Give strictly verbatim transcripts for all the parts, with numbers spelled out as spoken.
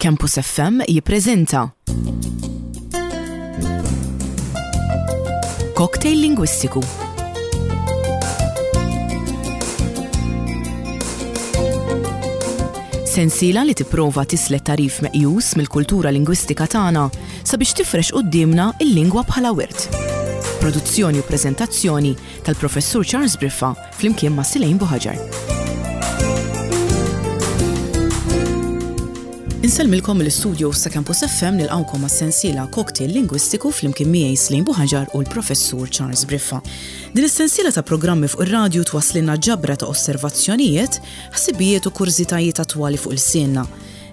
Campus F M jippreżenta Cocktail Lingwistiku. Sensiela li tipprova tislet tagħrif meqjus mill-kultura lingwistika tagħna sabiex tifrex quddiemna il-lingwa bħala wirt. Produzzjoni u preżentazzjoni tal-Professur Charles Briffa flimkien ma' Silejn Buħaġar. Insellmilkom mill-istudio ta' Campus F M, nilqawkom għas-sensiela Cocktail Lingwistiku flimkien miegħi Slejn Buħaġar u l-Professur Charles Briffa. Din is-sensiela ta' programmi fuq ir-radju twasslilna ġabra ta' osservazzjonijiet, ħsibijiet u kurżitajiet attwali fuq ilsienna.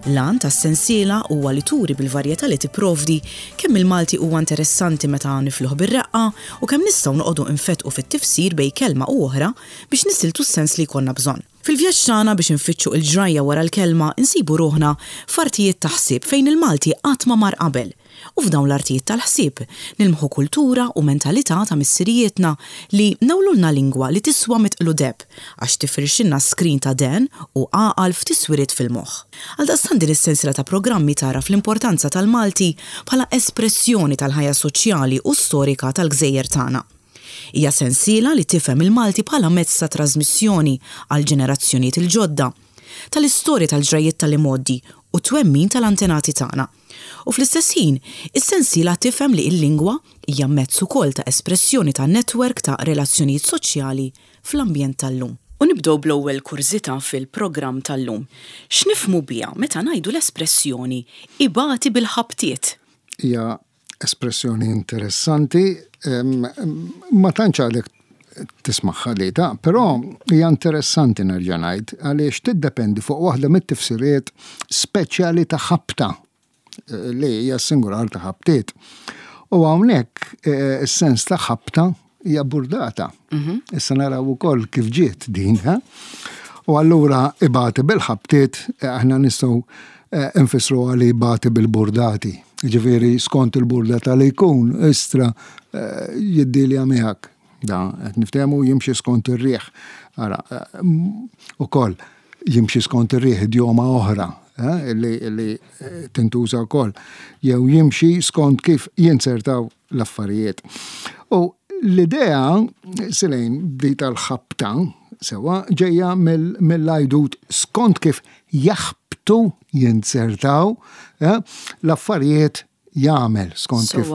L-għan tas-sensiela huwa li turi bil-varjetà li tipprovdi kemm il-Malti huwa interessanti meta nifluh bir-reqqa u kemm nistgħu noqogħdu infetqu fit-tifsir bejn kelma u oħra biex nisiltu s-sens li jkollna bżonn. Fil-vjaġġ tagħna biex infittxu il-ġrajja wara l-kelma, insibu ruħna f'artijiet ta' ħsieb fejn il-Malti qatt ma mar qabel. U f'dawn l-artijiet tal-ħsieb nilmħu kultura u mentalità ta' missirijietna li newlulna lingwa li tiswa mitqlu deheb għax tifrixilna skrin ta' dehen u għaqal f'tiswiriet fil-moħħ. Għaldaqstant din is-sensiela ta' programmi tara fl-importanza tal-Malti bħala espressjoni tal-ħajja soċjali u storika tal-gżejjer tagħna. Hija sensiela li tifhem il-Malti bħala mezz ta' trasmissjoni għal ġenerazzjonijiet il-ġodda, tal-istorja, tal-ġrajiet tal-imgħoddi u twemmin tal-antenati tagħna. U fl-istess ħin, is-sensiela tifhem li l-lingwa hija mezz ukoll ta' espressjoni ta' netwerk ta' relazzjonijiet soċjali fl-ambjent tal-lum. U nibdew bl-ewwel kurżità fil-programm tal-lum. X'nifhmu biha meta ngħidu l-espressjoni "ibati bil-ħabtiet"? Hija espressjoni interessanti, ma tantx għadek tismagħha li ta', però hija interessanti, nerġa' ngħid, għaliex tiddependi fuq waħda mit-tifsiriet speċjali ta' ħabta eh, li hija singular ta' ħabtiet. U hawnhekk eh, is-sens ta' ħabta hija burdata. Mhm. Issa naraw ukoll kif ġiet din, ha? U allura ibati bil-ħabtiet eh, aħna nistgħu nfissru għali ibati bil-burdati. Ġifieri skont il-burdata li jkun, istra jiddilja miegħek. Da, qed niftehmu, jimxi skont ir-riħ. Ara, ukoll jimxi skont ir-riħ, idjoma oħra eh, li, li eh, tintuża wkoll. Jew jimxi skont kif jinsertaw l-affarijiet. U l-idea, Silejn, di tal-ħabta, sewa, ġejja mill-ajdut skont kif jaħbtu, jinsertaw eh, l-affarijiet jagħmel, skont kif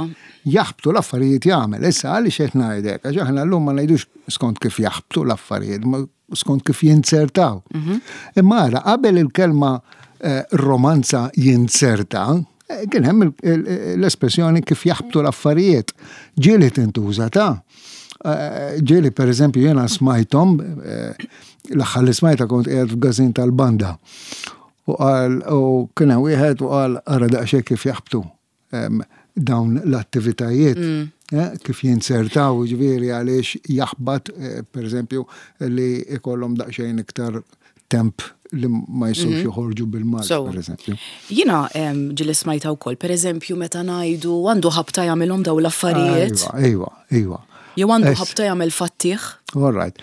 jaħbtu l-affarijiet jagħmel. Issa għaliex qed ngħidlek? Għax aħna llum ma ngħidux skont kif jaħbtu l-affarijiet, ma skont kif jinsertaw. Mhm. Imma ara, qabel il-kelma eh, romanza jinserta, eh, kien hemm l-espressjoni kif jaħbtu l-affarijiet. Ġieli tintuża ta' eh, ġieli per eżempju jiena smajthom, l-aħħar li smajta kont qiegħed f'gażin tal-banda. U qal, u kien hemm wieħed u qal, "Ara daqsxejn kif jaħbtu dawn l-attivitajiet, mm. eh, kif jinsertaw", ġifieri għaliex jaħbat, eh, per eżempju, li ikollhom daqsxejn iktar temp li ma jistgħux mhm. joħorġu bil-Malti, per eżempju. Jiena ġieli smajta wkoll, per eżempju, meta ngħidu għandu ħabta jagħmilhom daw l-affarijiet. Iva, iva. Jew għandu ħabta jagħmel fattih. All right.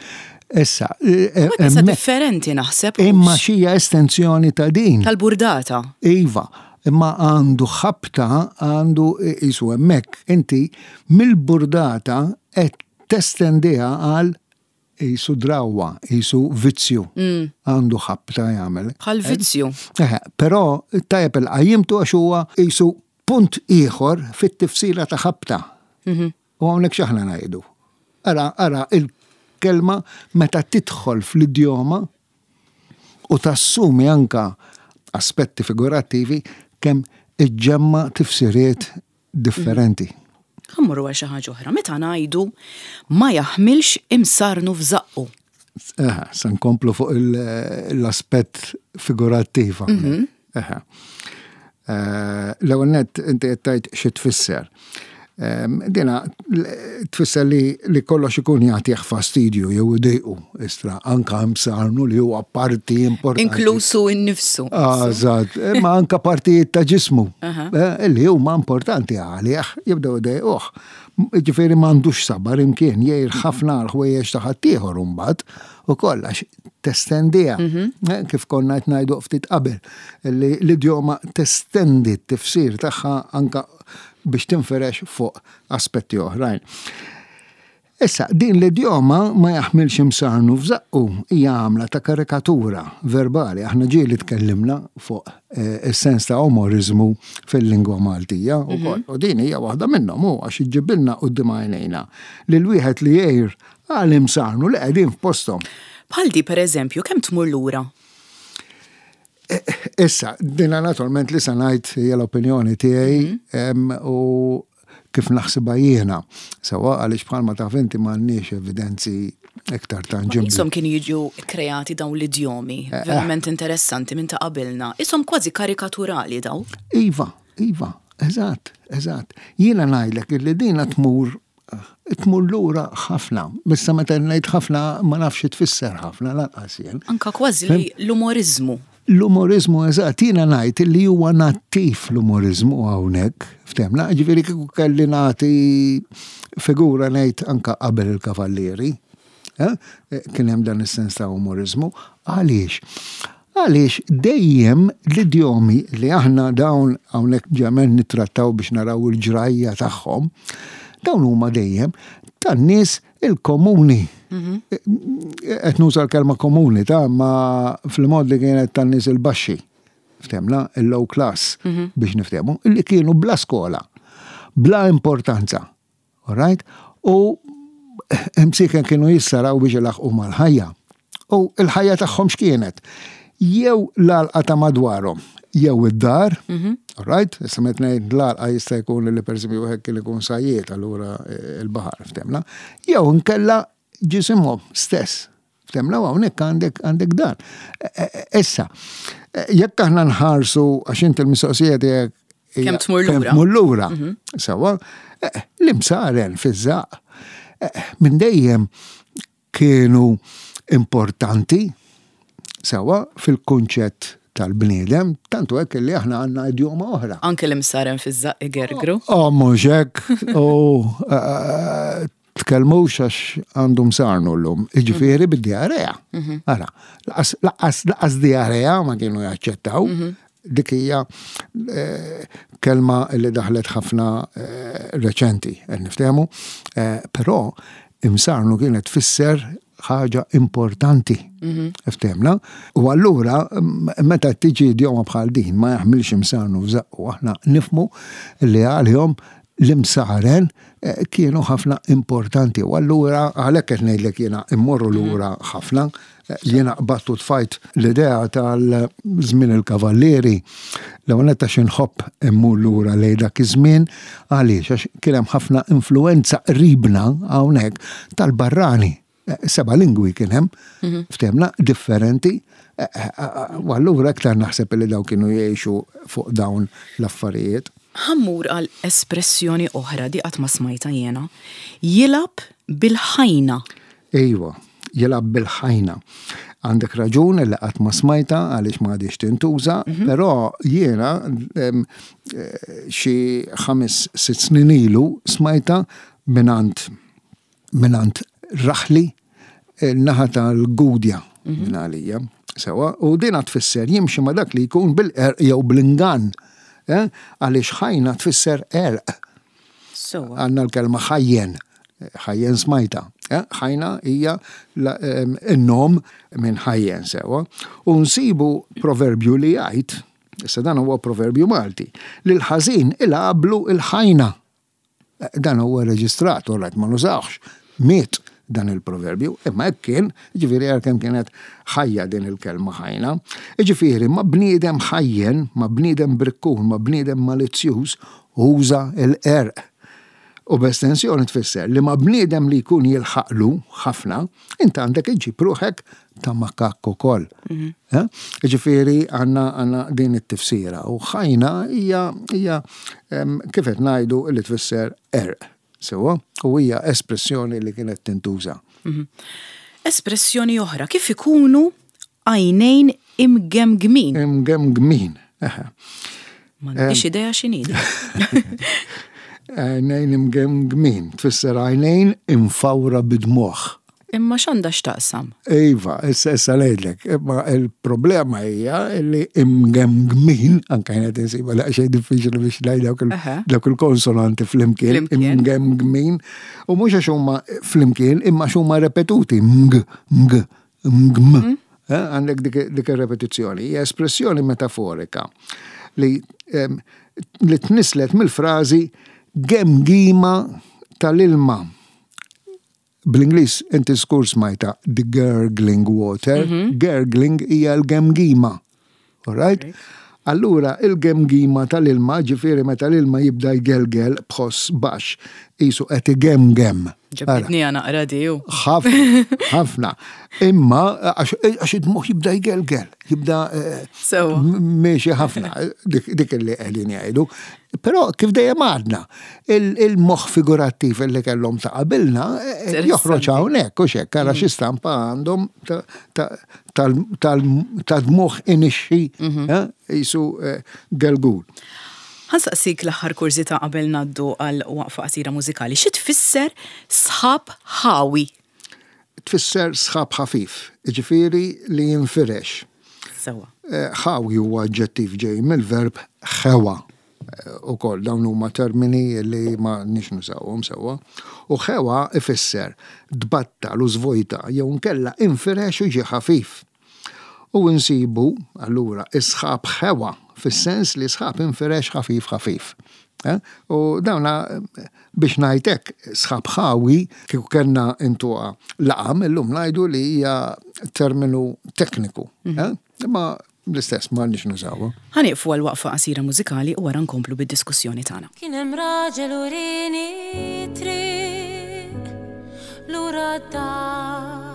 Issa, Issa differenti naħseb. Imma xija estensjoni ta' din. Tal-burdata. Iva, imma għandu ħabta, għandu jisu hemmhekk, inti mill-burdata qed testendiha għal jisu drawa, jisu vizzju. Mm. Għandu ħabta jagħmel. Bħal vizzju. Eh, però tajjeb il-qajjimtu għax huwa jisu punt ieħor fit-tifsira ta' ħabta. Mhm. U hawnhekk x'aħna ngħidu? Ara, ara il-kelma meta tidħol fl-idjoma u tassumi anka aspetti figurattivi, kemm iġġemma tifsiriet differenti. Ħa mmorru għal xi ħaġa oħra. Meta ngħidu ma jaħmilx imsarnu f'żaqqu. Eh, se nkomplu fuq l-aspett figurattiv. Mhm. Eh, l-ewwel nett inti qed tgħid xi tfisser. Dina tfisser li, li kollox ikun jagħtih fastidju jew idejqu istra, anka msarnu li huwa parti importanti. Inklusu innifsu. Eżatt, imma anka partijiet ta' ġismu eh, li huma importanti għalih jibdew idejquh. Ġifieri m'għandux sabar imkien, jgħir ħafna għal ħwejjeġ ta' ħaddieħor imbagħad Ukoll għax testendiha, eh, kif konna qed ngħidu ftit qabel, li l-idjoma testendi t-tifsir tagħha anka biex tinferex fuq aspetti oħrajn. Issa, din l-idjoma "ma jaħmilx imsarnu f'żaqqu" hija għamla ta' karikatura verbali. Aħna ġieli tkellimna fuq eh, is-sens ta' umorizmu fil-lingwa Maltija ukoll. U din hija waħda minnhom, hu għax iġġibilna quddiem għajnejna lil wieħed li jgħir għal imsarnu li qegħdin f'posthom. Bħal di, per eżempju, kemm tmur lura? Issa, dina naturalment li sa ngħid hija l-opinjoni tiegħi em, u kif naħsibha jiena. Sewwa, għaliex bħalma taf inti m'għandniex evidenzi iktar tanġibbli. Isom kienu jiġu kreati dawn l-idjomi, verament interessanti minn ta' qabilna. Isom kważi karikaturali daw. Iva, iva, eżatt, eżatt. Jiena ngħidlek illi dina tmur tmur lura ħafna. Issa meta ngħid ħafna, ma nafx tfisser ħafna lanqas jien. Anka kważi li l-umorizmu. L-umorizmu, eżatt, jiena ngħid li huwa nattiv l-umorizmu hawnhekk, ftemna, ġifieri kieku kelli nagħti figura, ngħid anka qabel il-kavallieri, eh, kien hemm dan is-sens ta' umorizmu. Għaliex? Għaliex dejjem l-idjomi li aħna dawn hawnhekk ġemen nittrattaw biex naraw il-ġrajja tagħhom, dawn huma dejjem tan-nies il-komuni. Qed nuża l-kelma komuni ta' ma fil-mod li kienet tan-nies il-baxxi. Ftemna, il-low class, biex niftehmu, illi kienu bla skola, bla importanza. All right? U imsiken kienu jissaraw biex ilaħqu mal-ħajja. U il-ħajja tagħhom x'kienet? Jew l-għalqa ta' madwarhom, jew id-dar, all right? Issa meta ngħid l-għalqa, jista' jkun li pereżempju wieħed kien ikun sajjied, allura eh, il-baħar, ftemna, jew nkella ġisimhom stess. Ftemna, u hawnhekk għandek għandek dan. E- e- Issa, eh, jekk aħna nħarsu, għax inti l-mistoqsija tiegħek hija Kemm tmur lura. Kemm tmur lura. Sewwa, eh, l-imsaren fiż-żaq eh, minn dejjem kienu importanti sewwa fil-kunċett tal-bniedem, tantu hekk li aħna għandna idjoma oħra. Anke l-imsaren fiż-żaq igergru. Oh, mhux hekk, u eh, tkellmux għax għandu msarnu l-lum. Iġifieri bid-diarrea. Ara, laqas- laqas laqas diarrea ma kienu jaċċettaw. Dik hija eh, kelma li daħlet ħafna eh, reċenti, qed niftehmu, Eh, però imsarnu kienet tfisser ħaġa importanti. Ftemna? U allura, m- meta tiġi idjoma bħal din, "ma jaħmilx imsarnu f'żaqqu", aħna nifmu li għalihom l-imsaren eh, kienu ħafna importanti. U allura, għalhekk qed ngħidlek jiena immorru lura ħafna, eh, jiena qbattu tfajt l-idea tal-żmien il-kavallieri, l-ewwel għax inħobb immur lura lejn dak iż-żmien, għaliex għax kien hemm ħafna influenza qribna hawnhekk tal-barrani. Eh, Seba' lingwi kien hemm, ftemna, differenti, eh, eh, eh, u allura iktar naħseb li daw kienu jgħixu fuq dawn l-affarijiet. Ħa mmur għal espressjoni oħra, di qatt ma smajta jiena. "Jilgħab bil-ħajna." Ejwa, "jilgħab bil-ħajna". Għandek raġun li qatt ma smajta għaliex ma għadix tintuża, però jiena em, eh, xi ħames sitt snin ilu smajta minant minant raħli il-naħa tal-Gudja minn għalija. Sewwa, u dina tfisser jimxi ma dak li jkun bil-qerq jew bl-ingann. Eh? Għaliex ħajna tfisser qerq. Sewwa. Għandna l-kelma ħajjen, ħajjen smajta. Eh? Ħajna hija la- em, in-nom minn ħajjen, sewwa. U nsibu proverbju li jgħid, issa dan huwa proverbju Malti, li l-ħażin ilgħablu il-ħajna. Eh, Dan huwa reġistrat, u ma nużawx. Miet dan il-proverbju, imma hekk kien, ġifieri għal kemm kienet ħajja din il-kelma ħajna. Ġifieri ma bniedem ħajjen, ma bniedem brikkun, ma bniedem malizzjuż, uża il-qerq. U b'estensjoni tfisser li ma bniedem li jkun jilħaqlu ħafna, inta għandek iġib ruħek ta' makakk ukoll. Eh? Ġifieri għandna għandna din it-tifsira. U ħajna hija hija em, kif qed ngħidu li tfisser qerq. Sewwa, u hija espressjoni li kienet tintuża. Espressjoni oħra, kif ikunu għajnejn imgemgmin? Imgemgmin. Eħe. M'għandix idea x'inhi. Għajnejn imgemgmin tfisser għajnejn imfawra bid-dmugħ. Imma x'għandha x'taqsam? Iva, issa issa ngħidlek, imma il-problema hija li imgemgmin, anke jien qed insibha daqsxejn diffiċli biex ngħid dawk il- Aha. dawk il-konsonanti flimkien, Flimkien. imgemgmin, u mhux għax huma flimkien, imma għax huma repetuti, mg, mg, mgm. Eh, Għandek dik dik ir-repetizzjoni. Hija espressjoni metaforika li em, li tnislet mill-frażi gemgima tal-ilma. Bl-Ingliż inti żgur smajtha the gurgling water, gurgling hija l-gemgima. All right? Allura il-gemgima tal-ilma, ġifieri meta l-ilma jibda jgelgel b'ħoss baxx, qisu qed igemgem. Ara. Ġibditni naqra di u. Ħafna, ħafna. Imma għax għax id-moħħ jibda jgelgel, jibda eh, Sewwa. m- miexi ħafna, dik dik li qegħdin jgħidu. Però kif dejjem għadna, il- il-moħħ figurattiv li kellhom ta' qabilna eh, Interessanti. joħroġ hawnhekk u xekk, ara xi stampa għandhom ta- ta- tal- tal- ta' dmuħ inixxi eh, qisu eh, gelgul. Ħa nsaqsik l-aħħar kurżità qabel ngħaddu għal waqfa qasira mużikali. Xi tfisser sħab ħawi? Tfisser sħab ħafif, ġifieri li jinfirex. Sewwa. Eh, Ħawi huwa aġġettiv ġej mill-verb ħewa. U koll dawn huma termini li ma nix nużawhom sewwa. U ħewa ifisser tbattal u żvojta jew nkella infirex u ġie ħafif. U nsibu allura isħab ħewa fis-sens li sħab infirex ħafif ħafif. Eh? U dawna eh, biex ngħidlek sħab ħawi kieku kellna intuha laqam illum ngħidu li hija terminu tekniku. eh? Imma l-istess ma nix nużawha. Ħa nieqfu għal waqfa qasira mużikali u wara nkomplu bid-diskussjoni tagħna. Kien hemm raġel urini triq lura d-dar.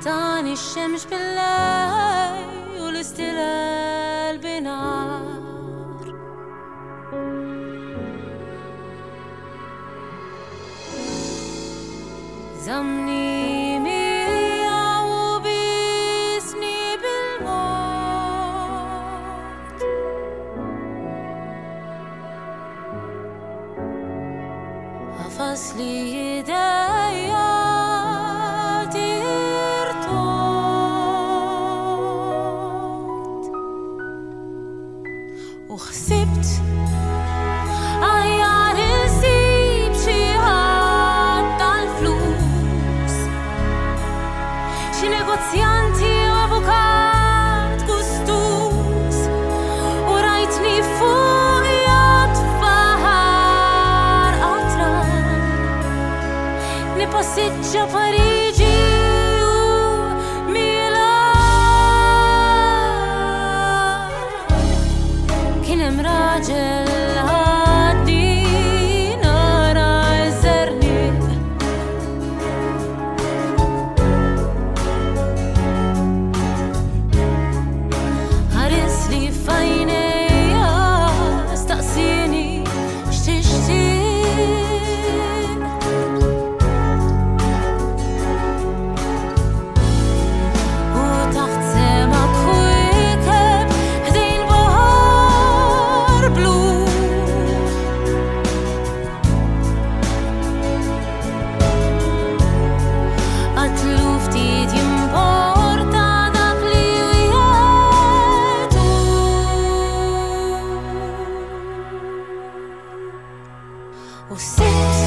Tani x-xemx bil-lejl u l-istilel binhar. Żammni miegħu u bisni bil-mod. Għafas li idejja tirtot. U ħsibt aħjar insib xi ħadd tal-flus, xi negozjanti u avukat gustus, u rajtni fuq yacht f'baħar qatran nipassiġġa Pariġi u Milan. Kien hemm raġel ħadni nara ż-żerniq. Ħares li f'għajnejja staqsini x'tixtieq. U taħt sema kwiekeb ħdejn baħar blu. Għatlu ftit jimporta dak li wieħed hu. U sibt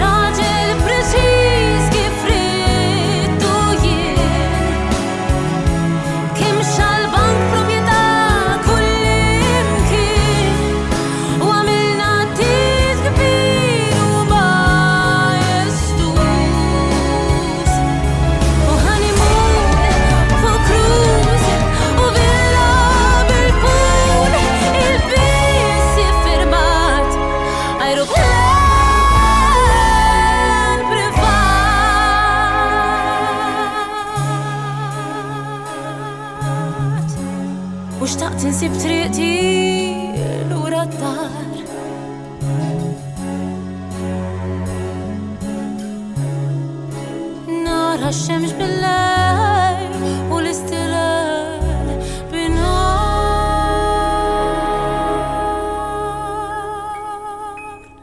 raġel preċiż kif ridtu jien. Kemm xal-bank proprjetà kullimkien. U għamilna tit kbir u majestuż. U honeymoon fuq cruise u villa bil-pool, il-biss iffirmat aeroplan privat. U xtaqt insib triqti lura d-dar. Nara x-xemx bil-lejl u l-istilel binhar.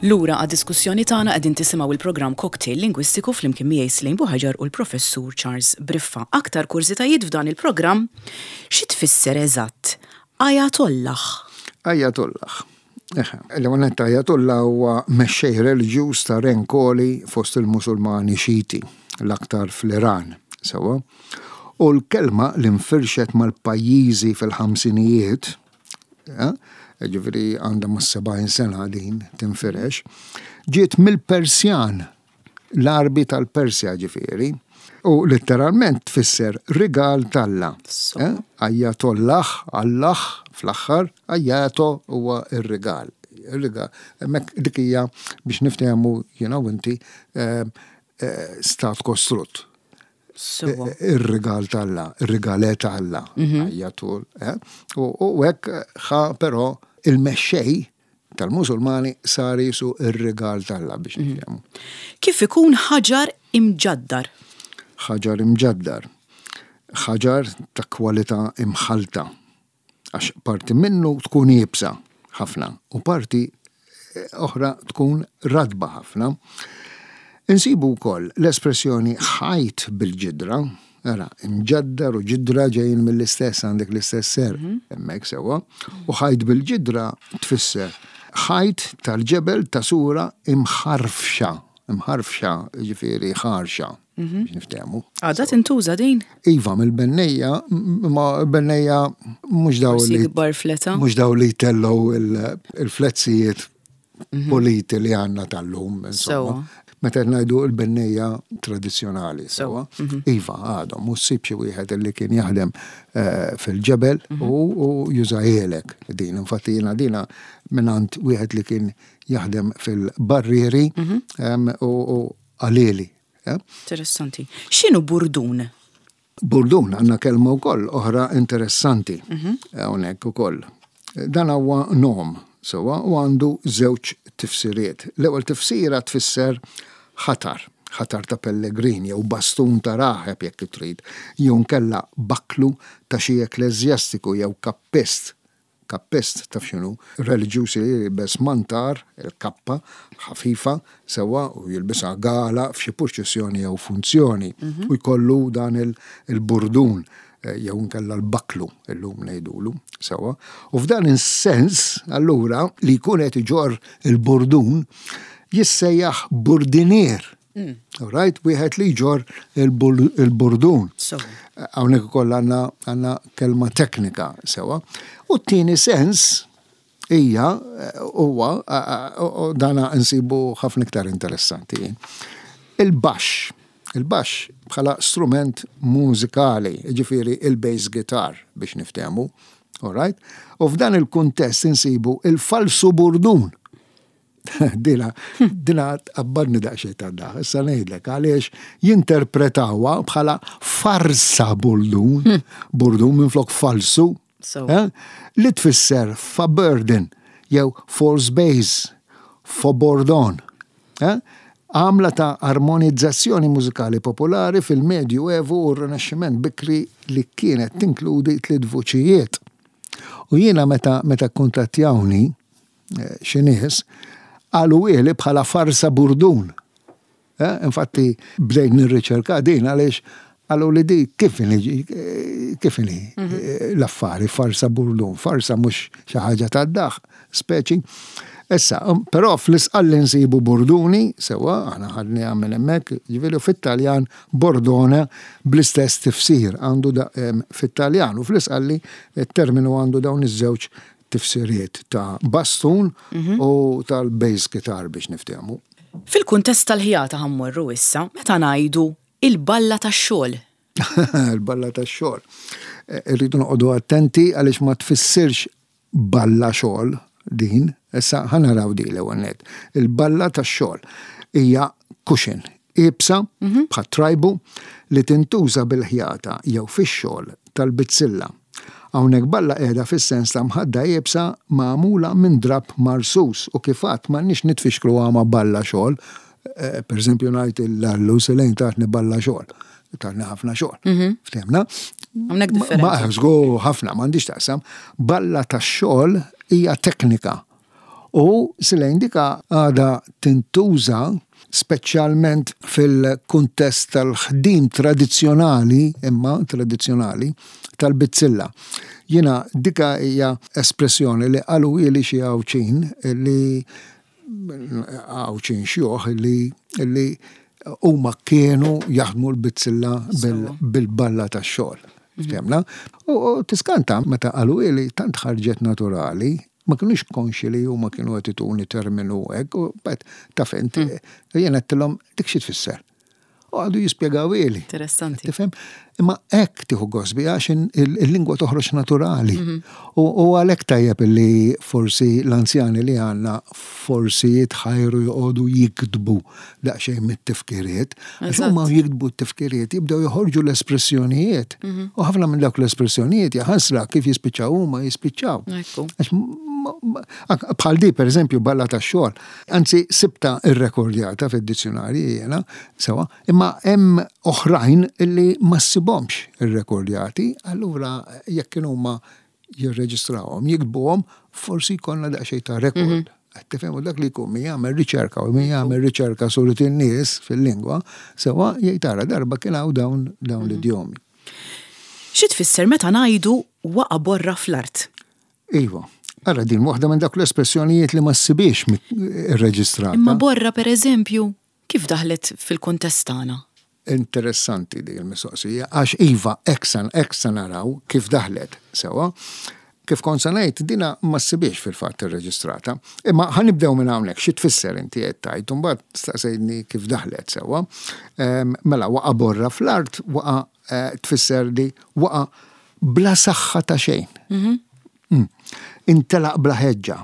Lura għad-diskussjoni tagħna, qegħdin tisimgħu il-programm Cocktail Lingwistiku flimkien miegħi Celine Buhagiar u l-Professur Charles Briffa. Aktar kurżitajiet f'dan il-programm: xi tfisser eżatt Ajatollah? Ajatollah. L-għonet, Ajatollah huwa mexxej reliġjuż ta' renkoli fost il-Musulmani Xiti, l-aktar fl-Iran. Sewwa. U l-kelma li nfirxet mal-pajjiżi fil-ħamsinijiet, ġifieri għandha ma' sebgħin sena din tinfirex, ġiet mill-Persjan, l-Arbi tal-Persja ġifieri, u letteralment tfisser rigal t'Alla. Eh? Ajatollah, Allah, fl-aħħar, ajato huwa ir-rigal. Ir-rigal. Hemmhekk dik hija biex niftehmu jiena u inti eh, eh, stat kostrutt. Ir-rigal t'Alla, ir-rigal t'Alla, mhm. ajatul. U hekk ħa però il-mexxej tal-Musulmani sar jisu ir-rigal t'Alla biex mhm. niftehmu. Kif ikun ħaġar imġaddar? Ħaġar imġaddar. Ħaġar ta' kwalità imħalta. Għax parti minnu tkun iebsa ħafna u parti eh, oħra tkun radba ħafna. Insibu wkoll l-espressjoni ħajt bil-ġidra, ara, imġaddar u ġidra ġejjin mill-istess, għandek l-istess ser, mhm. hemmhekk sewwa, u ħajt bil-ġidra tfisser ħajt tal-ġebel ta' sura imħarfxa, imħarfxa ġifieri ħarxa, mhm. biex niftehmu. Għadha tintuża din? Iva, mill-bennejja, ma bennejja mhux daw li. Mhux daw li tellgħu il-flezzijiet mhm. politi li għandna tal-lum, insomma. Meta ngħidu l-bennejja tradizzjonali, sewwa. Mhm. Iva, għadhom, u ssib xi wieħed li kien jaħdem eh, fil-ġebel mhm. u jużahielek din. Infatti jiena dina mingħand wieħed li kien jaħdem fil-barrieri mhm. u qalhieli. Interessanti. X'inhu burdun? Burdun għandna kelma wkoll oħra interessanti hawnhekk ukoll. Dan huwa nom, sewwa, u għandu żewġ tifsiriet. L-ewwel tifsira tfisser ħatar, ħatar ta' pellegrin jew bastun ta' raħeb jekk trid, jew nkella baklu ta' xi ekkleżjastiku jew kappist. Kappist taf x'inhu, reliġjuż li jilbes mantar, il-kappa, ħafifa, sewwa, u jilbisha gala f'xi purċissjoni jew funzjoni mhm. u jkollu dan il-burdun eh, jew nkella l-baklu illum ngħidulu, sewwa. U f'dan is-sens, allura, li jkun qed iġorr il-burdun jissejjaħ burdinier. Mm. Right, wieħed li jġorr il-burdun. Hawnhekk ukoll għandna għandna kelma teknika sewwa. U t-tieni sens hija huwa dana nsibu ħafna iktar interessanti. Il-baxx. Il-baxx bħala strument mużikali, ġifieri il-bass guitar biex niftehmu. All right? U f'dan il-kuntest insibu il-falsu burdun. Dina, dina tqabbadni daqsxejn ta' da, issa ngħidlek għaliex jinterpretawha bħala farsa burdun, hmm. burdun minn flok falsu, eh? li tfisser faux burden jew false bass, faux bourdon. Eh? Għamla ta' armonizzazzjoni mużikali popolari fil-Medju Evu u r-Rinaxximent bikri li kienet tinkludi tliet vuċijiet. U jiena meta meta kuntattjawni eh, xi nies, qaluhieli bħala farsa burdun. Eh, infatti bdejt nirriċerka din għaliex qalu li di kif kif inhi mhm. eh, l-affari farsa burdun, farsa mhux xi ħaġa tad-daħ, speċi. Issa, um, però fl-Isqalli nsibu burduni, sewwa, aħna ħadni minn hemmhekk, ġifieri fit-Taljan bordone bl-istess tifsir għandu fit-Taljan u fl-Isqalli il-terminu għandu dawn iż-żewġ tifsiriet ta' bastun mhm. u tal-bass guitar biex niftehmu. Fil-kuntest tal-ħjata ħa mmorru issa, meta ngħidu il-balla tax-xogħol. Il-balla tax-xogħol. Eh, irridu noqogħdu attenti għaliex ma tfissirx balla xogħol din, issa ħa naraw di l-ewwel nett. Il-balla tax-xogħol hija cushion iebsa mhm. bħat trajbu li tintuża bil-ħjata jew fix-xogħol tal-bizzilla. Hawnhekk balla qiegħda fis-sens ta' mħadda iebsa magħmula minn drap marsus u kif għedt m'għandniex nitfixklu ma' balla xogħol. Eh, per eżempju ngħid l-allu Selejn tatni balla xogħol. Tatni ħafna xogħol. Mhm. Ftehmna? Hawnhekk differenti. Ma żgur ħafna m'għandix taqsam. Balla tax-xogħol hija teknika U Slane dika għada tintuża speċjalment fil-kuntest tal-ħdim tradizzjonali, imma tradizzjonali, tal-bizzilla. Jiena dika hija espressjoni li qalu ili xi Għawdxin li Għawdxin xjuħ li li huma kienu jaħdmu l-bizzilla bil-balla tax-xogħol. Ftemna? U tiskanta meta qalu ili tant ħarġet naturali, ma kienux konxi li huma kienu qed ituni terminu hekk, u bet taf int, jien għedtilhom dik xi tfisser. U għadu jispjegaw ili. Interessanti. Tifhem? Imma hekk tieħu gost biha għax il-lingwa toħroġ naturali. U għalhekk tajjeb li forsi l-anzjani li għandna forsi jitħajru joqogħdu jiktbu daqsxejn mit-tifkiriet. Għax huma jiktbu t-tifkiriet jibdew joħorġu l-espressjonijiet. U ħafna minn dawk l-espressjonijiet jaħasra kif jispiċċaw huma jispiċċaw. Għax bħal di, per eżempju, balla ta' xogħol. Anzi, sibta irrekordjata fid-dizzjonarji jiena, sewa, imma hemm oħrajn illi ma ssibhomx irrekordjati, allura jekk kienu huma jirreġistrawhom, jiktbuhom, forsi jkollna daqsxejn ta' rekord. Qed tifhem dak li jkun min jagħmel riċerka u min jagħmel riċerka surit in-nies fil-lingwa, sewa jgħid tara darba kien hawn dawn dawn l-idjomi. Xi tfisser meta ngħidu waqa' borra fl-art? Iva. Ara din waħda minn dak l-espressjonijiet li ma ssibiex irreġistrata. Imma borra per eżempju, kif daħlet fil-kuntest tagħna? Interessanti din il-mistoqsija, għax iva, eksan, eksan naraw kif daħlet, sewa. Kif kont se ngħid, dina ma ssibiex fil-fatt irreġistrata. Imma ħa nibdew minn hawnhekk, xi tfisser inti qed tgħid, u mbagħad staqsejtni kif daħlet sewwa. Mela waqa' borra fl-art, waqa' tfisser li waqa' bla saħħa ta' xejn. Intelaq bla ħeġġa.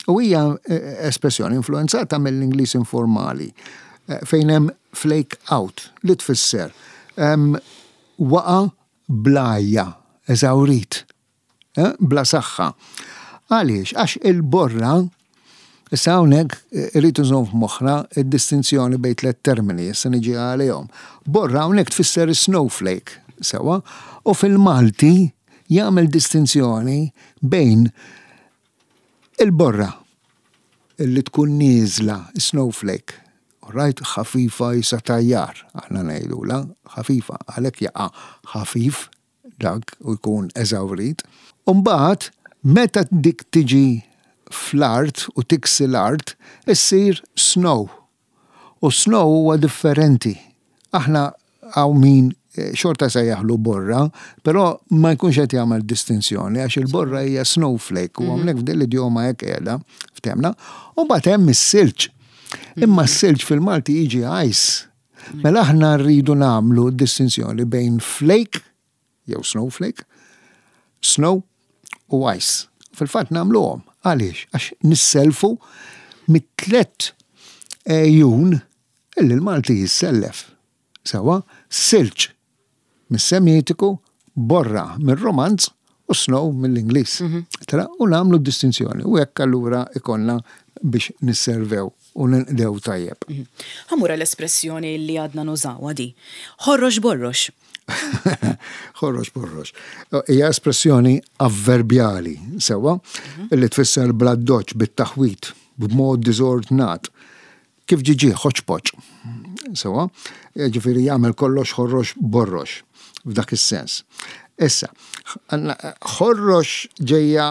U hija espressjoni influenzata mill-Ingliż informali fejn hemm flake out li tfisser waqa' blajja, eżawrit, bla saħħa. Għaliex? Għax il-borra, issa hawnhekk irrid nżomm f'moħħna id-distinzjoni bejn tliet termini, issa niġi għalihom. Borra hawnhekk tfisser snowflake, sewa, u fil-Malti jagħmel distinzjoni bejn il-borra illi tkun nieżla, snowflake, right, ħafifa jisa tajjar, aħna ngħidula, ħafifa, għalhekk jaqa' ħafif dak u jkun eżawrit. Umbagħad meta dik tiġi fl-art u tiksi l-art, issir snow. U snow huwa differenti. Aħna hawn min xorta se jaħlu borra, però ma jkunx qed jagħmel distinzjoni għax il-borra hija snowflake u hawnhekk f'din l-idjoma hekk qiegħda, ftemna, u mbagħad hemm is-silġ. Imma s-silġ fil-Malti jiġi ice. Mela aħna rridu nagħmlu distinzjoni bejn flake jew snowflake, snow u ice. Fil-fatt nagħmluhom. Għaliex? Għax nisselfu mit-tlet ejjun illi l-Malti jissellef. Sewa, silġ mis-Semitiku, borra mir-Romanz u snow mill-Ingliż. Tara, u nagħmlu distinzjoni u hekk allura ikollna biex nisservew u ninqdew tajjeb. Ħamura l-espressjoni li għadna nużawha di. Ħorrox borrox. Ħorrox borrox. Hija espressjoni avverbjali, sewa, li tfisser bla doċ bit-taħwit, b'mod diżordnat. Kif ġiġi ħoċpoċ. Sewa, ġifieri jagħmel kollox ħorrox borrox f'dak is-sens. Issa, ħorrox ġejja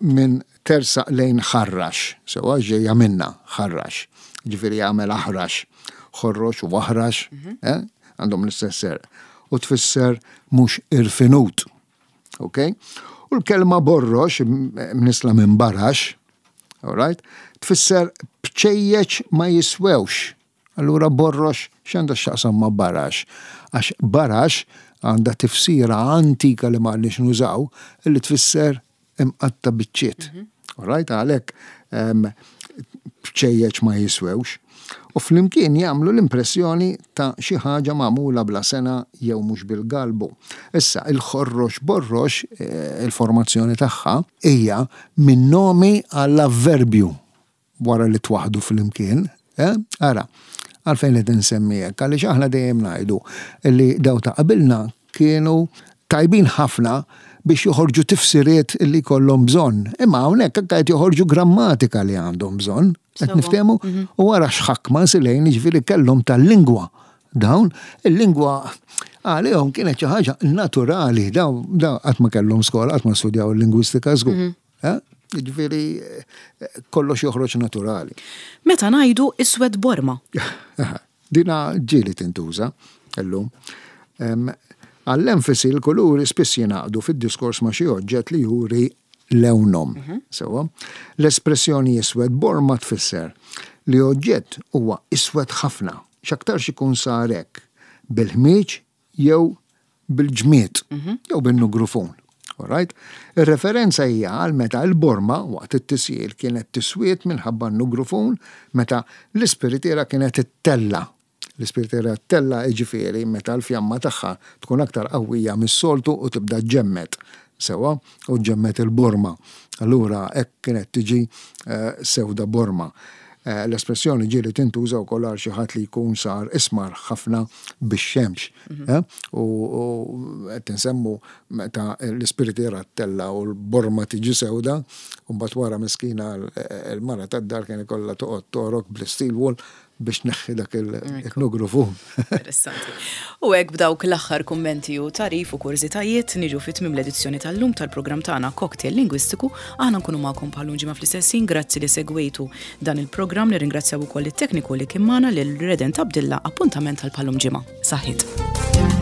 minn tersaq lejn ħarrax, sewa ġejja minna ħarrax. Ġifieri jagħmel aħrax, ħorrox u aħrax, għandhom l-istess ser. U tfisser mhux irfinut. Ok? U l-kelma borrox, mnisla minn barax, all right? Tfisser bċejjeċ ma jiswewx. Allura borrox x'għandha x'taqsam ma' barax? Għax barax għandha tifsira antika li ma għandniex nużaw, li tfisser imqatta biċċiet. All right? Għalhekk bċejjeċ ma jiswewx. U flimkien jagħmlu l-impressjoni ta' xi ħaġa magħmula bla sena jew mhux bil-galbu. Issa, il-ħorrox borrox, il-formazzjoni tagħha hija minn nomi għall-avverbju wara li twaħdu flimkien. Ara, għalfejn qed insemmi hekk, għaliex aħna dejjem ngħidu li daw ta' qabilna kienu tajbin ħafna biex joħorġu tifsiriet li kollhom bżonn. Imma hawnhekk anke qed joħorġu grammatika li għandhom bżonn. Qed niftehmu? U wara x'ħakma silejn, jiġifieri kellhom tal-lingwa. Dawn il-lingwa għalihom kienet xi ħaġa naturali, dawn qatt ma kellhom skola, qatt ma studjaw il-lingwistika żgur. Eh? Jiġifieri kollox joħroġ naturali. Meta ngħidu iswed borma. Dina ġieli tintuża illum. Għall-enfasi, l-kuluri spiss jingħaqdu fid-diskors ma' xi oġġett li juri lewnhom. Mhm. Sewwa, l-espressjoni iswed borma tfisser li oġġett huwa iswed ħafna, x'aktarx ikun sar hekk bil-ħmieġ jew bil-ġmied mhm. jew bin-nugrufun. Alright? Ir-referenza hija għal meta l-borma waqt it-tisjir kienet tiswiet minħabba n-nugrufun meta l-ispiritiera kienet ittella. L-ispiritiera ttella, jiġifieri meta l-fjamma tagħha tkun aktar qawwija mis-soltu u tibda ġemmet. Sewwa, u ġemmet il-borma. Allura hekk kienet tiġi eh, sewda borma. Eh, l-espressjoni ġieli tintuża wkoll għal xi ħadd li jkun sar ismar ħafna bix-xemx. Mhm. Eh, u qed insemmu meta l-ispiritiera ttella u l-borma tiġi sewda, u mbagħad wara miskina l-mara tad-dar kien ikollha toqgħod torok bl-steel wool biex tneħħi dak il-nugrufu. Interessanti. U hekk, b'dawk l-aħħar kummenti u tagħrif u kurżitajiet, niġu fi tmiem l-edizzjoni tal-lum tal-programm tagħna Cocktail Lingwistiku. Aħna nkunu magħkom bħal ġimgħa fl-istess ħin. Grazzi li segwejtu dan il-programm. Nirringrazzjaw ukoll it-tekniku li kien magħna, lil Redent Abdilla. Appuntament tal-bħal-lum ġimgħa. Saħħit.